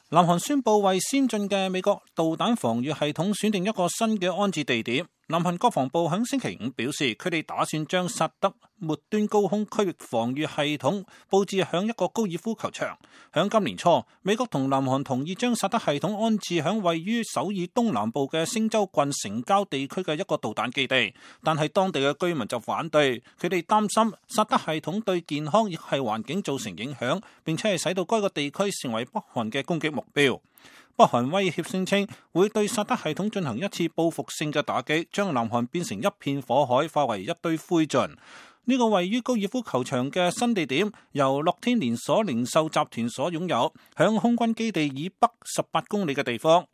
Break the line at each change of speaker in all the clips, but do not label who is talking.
南韓宣布為先進嘅美國導彈防禦系統選定一個新嘅安置地點。南韓國防部喺星期五表示，佢哋打算將薩德末端高空區域防禦系統佈置響一個高爾夫球場。響今年初，美國同南韓同意將薩德系統安置響位於首爾東南部嘅星州郡城郊地區嘅一個導彈基地，但係當地嘅居民就反對，佢哋擔心薩德系統對健康亦係環境造成影響，並且係使到該個地區成為北韓嘅攻擊目標。北韓威脅聲稱會對薩德系統進行一次報復性嘅打擊，將南韓變成一片火海，化為一堆灰燼。呢個位於高爾夫球場嘅新地點由樂天連鎖零售集團所擁有，響空軍基地以北18公里嘅地方。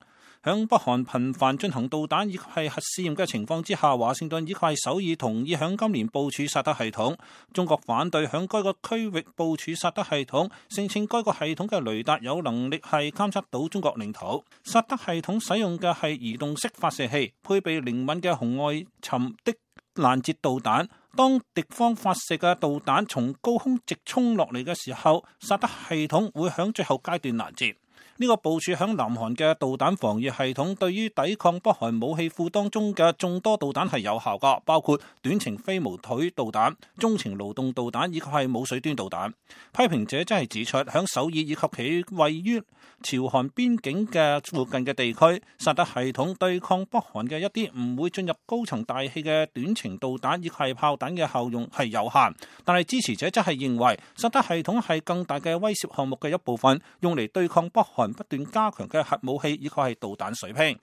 響北韓頻繁進行導彈以及係核試驗嘅情況之下，華盛頓以及係首爾同意響今年部署薩德系統。中國反對響該個區域部署薩德系統，聲稱該個系統嘅雷達有能力係監測到中國領土。薩德系統使用嘅係移動式發射器，配備靈敏嘅紅外尋的攔截導彈。當敵方發射嘅導彈從高空直衝落嚟嘅時候，薩德系統會響最後階段攔截。呢個部署響南韓嘅導彈防禦系統，對於抵抗北韓武器庫當中嘅眾多導彈係有效㗎，包括短程飛毛腿導彈、中程勞動導彈以及係冇水端導彈。批評者真係指出，響首爾以及其位於朝韓邊境嘅附近嘅地區，薩德系統對抗北韓嘅一啲唔會進入高層大氣嘅短程導彈以及係炮彈嘅效用係有限。但係支持者則係認為，薩德系統係更大嘅威懾項目嘅一部分，用嚟對抗北韓不斷加強嘅核武器以及係導彈水平。